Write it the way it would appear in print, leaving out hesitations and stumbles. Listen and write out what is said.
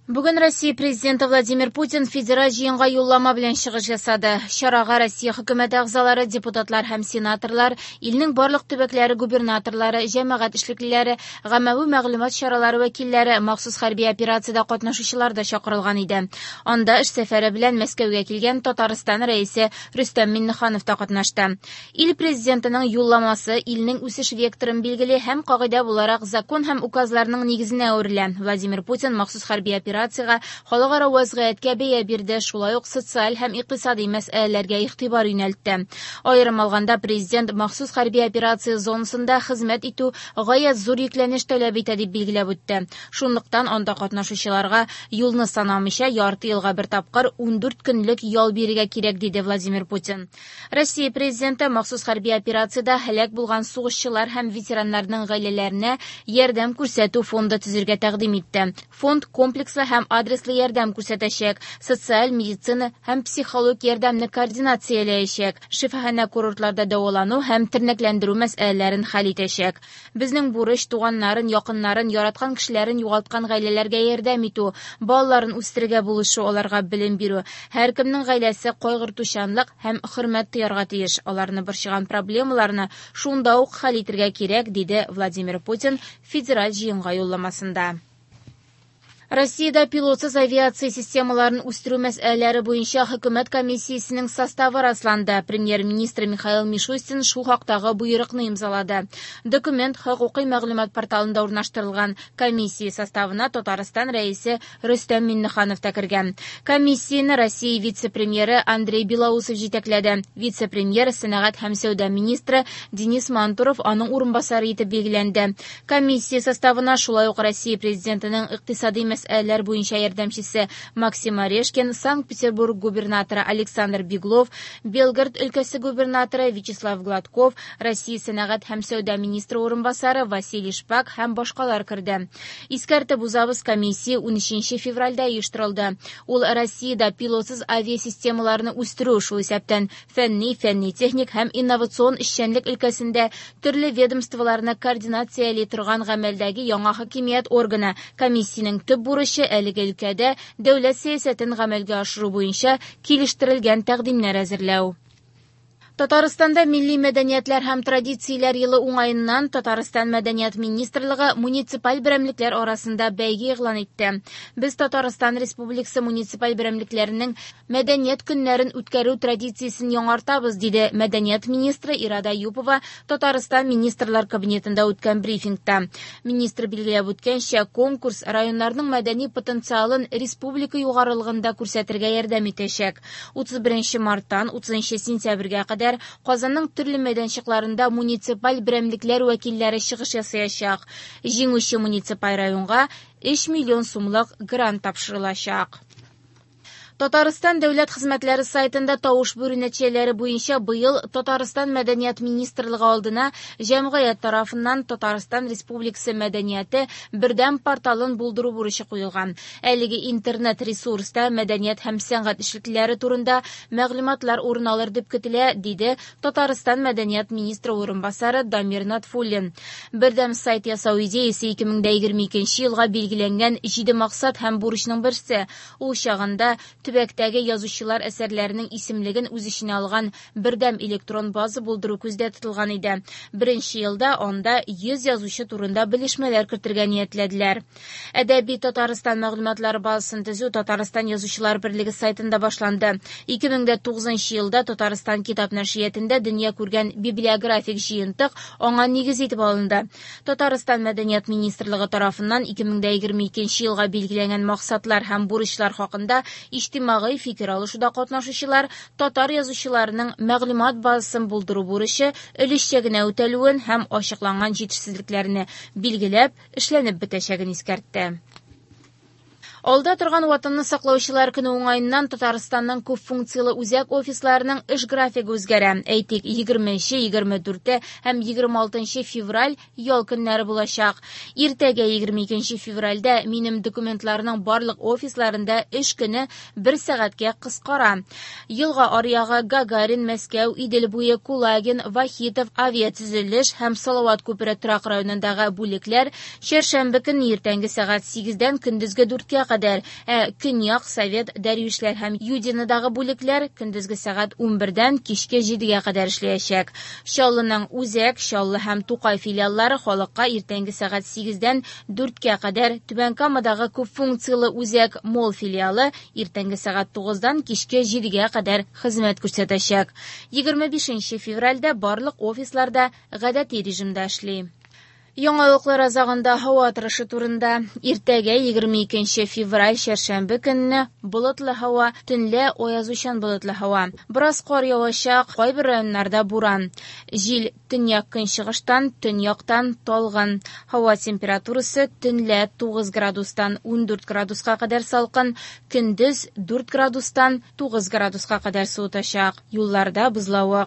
Бүген Россия Президенты Владимир Путин Федераль җыенга юллама белән чыгыш ясады. Чарага Россия хөкүмәте әгъзалары, депутатлар һәм сенаторлар, илнең барлык төбәкләре губернаторлары, җәмәгать эшлеклеләре, гаммәви мәгълүмат чаралары вәкилләре, махсус хәрби операциядә катнашучылар да чакырылган иде. Анда эш сәфәре белән Мәскәүгә килгән Татарстан Рәисе Рөстәм Миңнеханов та катнашты. Ил Президентының юлламасы илнең үсеш векторын билгели һәм кагыйдә буларак закон һәм указларның нигезенә әверелә. Владимир Путин махсус хәрби операциягә, халыкара вазгыятькә бәя бирде, шулай ук социаль һәм икътисади мәсьәләләргә игътибар юнәлтте. Аерым алганда, президент махсус хәрби операция зонасында хезмәт итү гаять зур йөкләнеш таләп итә дип билгеләп үтте. Шунлыктан анда катнашучыларга юлны санамыйча ярты елга бер тапкыр 14 көнлек ял бирергә кирәк, диде Владимир Путин. Россия президенты махсус хәрби операциядә һәлак булган сугышчылар һәм ветераннарның гаиләләренә ярдәм күрсәтү фонды төзергә тәкъдим итте. Фонд комплекслы һәм адреслы ярдәм күрсәтәчәк, социаль, медицина һәм психологик ярдәмне координацияләячәк, шифаханә-курортларда дәвалану һәм тернәкләндерү мәсьәләләрен хәл итәчәк. Безнең бурыч туганнарын, якыннарын, яраткан кешеләрен югалткан гаиләләргә ярдәм итү, балаларын үстерергә булышу, аларга белем бирү. Һәркемнең гаиләсе кайгыртучанлык һәм хөрмәт тоярга тиеш. Аларны борчыган проблемаларны шунда ук хәл итергә кирәк, диде Владимир Путин федераль җыенга юлламасында. Россиядә пилотсыз авиация системаларын үстерү мәсьәләләре буенча хөкүмәт комиссиясенең составы расланды. Премьер-министр Михаил Мишустин шул хактагы боерыкны имзалады. Документ хокукый мәгълүмат порталында урнаштырылган. Комиссия составына Татарстан рәисе Рөстәм Миңнеханов та кергән. Комиссияне Россия вице-премьеры Андрей Белоусов җитәкләде. Вице-премьер, сәнәгать һәм сәүдә министры Денис Мантуров аның урынбасары итеп билгеләнде. Комиссия составына шулай ук Россия президентының икътисади мәсьәләләр буенча ярдәмчесе Максим Орешкин, Санкт-Петербург губернаторы Александр Беглов, Белгород өлкәсе губернаторы Вячеслав Гладков, Россия сәнәгать һәм сәүдә министры урынбасары Василий Шпак һәм башкалар керде. Искәртеп узабыз, комиссия 13 февральдә оештырылды. Ул Россиядә пилотсыз авиасистемаларны үстерү, шул исәптән фәнни, фәнни-техник һәм инновацион эшчәнлек өлкәсендә төрле ведомстволарны координацияли торган гамәлдәге яңа хакимият органы. Комиссиянең төп бурычы әлеге өлкәдә дәүләт сәясәтен гамәлгә ашыру буенча килештерелгән тәкъдимнәр әзерләү. Татарстанда милли мәдәниятләр һәм традицияләр елы уңаеннан Татарстан мәдәният министрлыгы муниципаль берәмлекләр арасында бәйге игълан итте. Без Татарстан Республикасы муниципаль берәмлекләренең мәдәният көннәрен үткәрү традициясен яңартабыз, диде мәдәният министры Ирада Юпова Татарстан Министрлар Кабинетында үткән брифингта. Министр билгеләп үткәнчә, конкурс районнарның мәдәни потенциалын республика югарылыгында күрсәтергә ярдәм итәчәк. 31 марттан 30 сентябрьгә кадәр Казанның төрле мәйданчыкларында муниципаль берәмлекләр вәкилләре чыгыш ясаячак. Җиңүче муниципаль районга 3 миллион сумлык грант тапшырылачак. Татарстан дәүләт хезмәтләре сайтында тавыш бирү нәтиҗәләре буенча быел Татарстан Мәдәният министрлыгы алдына җәмгыять тарафыннан Татарстан Республикасы мәдәнияте бердәм порталын булдыру бурычы куелган. Әлеге интернет ресурста мәдәният һәм сәнгать эшлеклеләре турында мәгълүматлар урын алыр дип көтелә, диде Татарстан Мәдәният министры урынбасары Дамир Натфуллин. Бердәм сайт ясау идеясе 2022 елга билгеләнгән 7 максат һәм бурычның берсе. Ул чагында төбәктәге язучылар әсәрләренең исемлеген үз эченә алган бердәм электрон база булдыру күздә тотылган иде. Беренче елда анда 100 язучы турында белешмәләр кертергә ниятләделәр. Әдәби Татарстан мәгълүматлары базасын төзү Татарстан Язучылар берлеге сайтында башланды. 2009 елда Татарстан китап нәшриятында дөнья күргән библиографик җыентык аңа нигез итеп алынды. Татарстан Мәдәният министрлыгы тарафыннан 2022 елга билгеләнгән максатлар һәм бурычлар хакында иҗтимагый фикер алышуда катнашучылар татар язучыларының мәгълүмат базасын булдыру бурычы өлешчә генә үтәлүен һәм ачыкланган җитешсезлекләрне билгеләп, эшләнеп бетәчәген искәртте. Алда торган Ватанны саклаучылар көне уңаеннан Татарстанның күп функцияле үзәк офисларының эш графигы үзгәрә. Әйтик, 20, 24 һәм 26 февраль ял көннәре булачак. Иртәгә 22 февральдә минем документларның барлык офисларында эш көне бер сәгатькә кыскара. Елга аръягы Гагарин, Мәскәү, Идел буе, Кулагин, Вахитов, авиатөзелеш һәм Салават күпере торак районындагы бүлекләр чәршәмбе көнне иртәнге сәгать 8-дән көндезге 4-кә кадәр кадәр, ә Көньяк, Совет, Дәрвишләр һәм Юдинодагы бүлекләр көндезге сәгать 11дән кичке 7гә кадәр эшләячәк. Чаллының Үзәк, Чаллы һәм Тукай филиаллары халыкка иртәнге сәгать 8дән 4кә кадәр, Түбән Камадагы күпфункцияле үзәк Молл филиалы иртәнге сәгать 9дан кичке 7гә кадәр хезмәт күрсәтәчәк. 25 февральдә барлык офислар да гадәти режимда эшли. Яңалыклар азагында һава торышы турында. Иртәгә 22 февраль чәршәмбе көнне болытлы һава, төнлә аязучан болытлы һава. Бераз кар явачак, кайбер районнарда буран. Җил төньяк-көнчыгыштан, төньяктан талгын. Һава температурасы төнлә 9 градустан 14 градуска кадәр салкын, көндез 4 градустан 9 градуска кадәр суытачак. Юлларда бозлавык.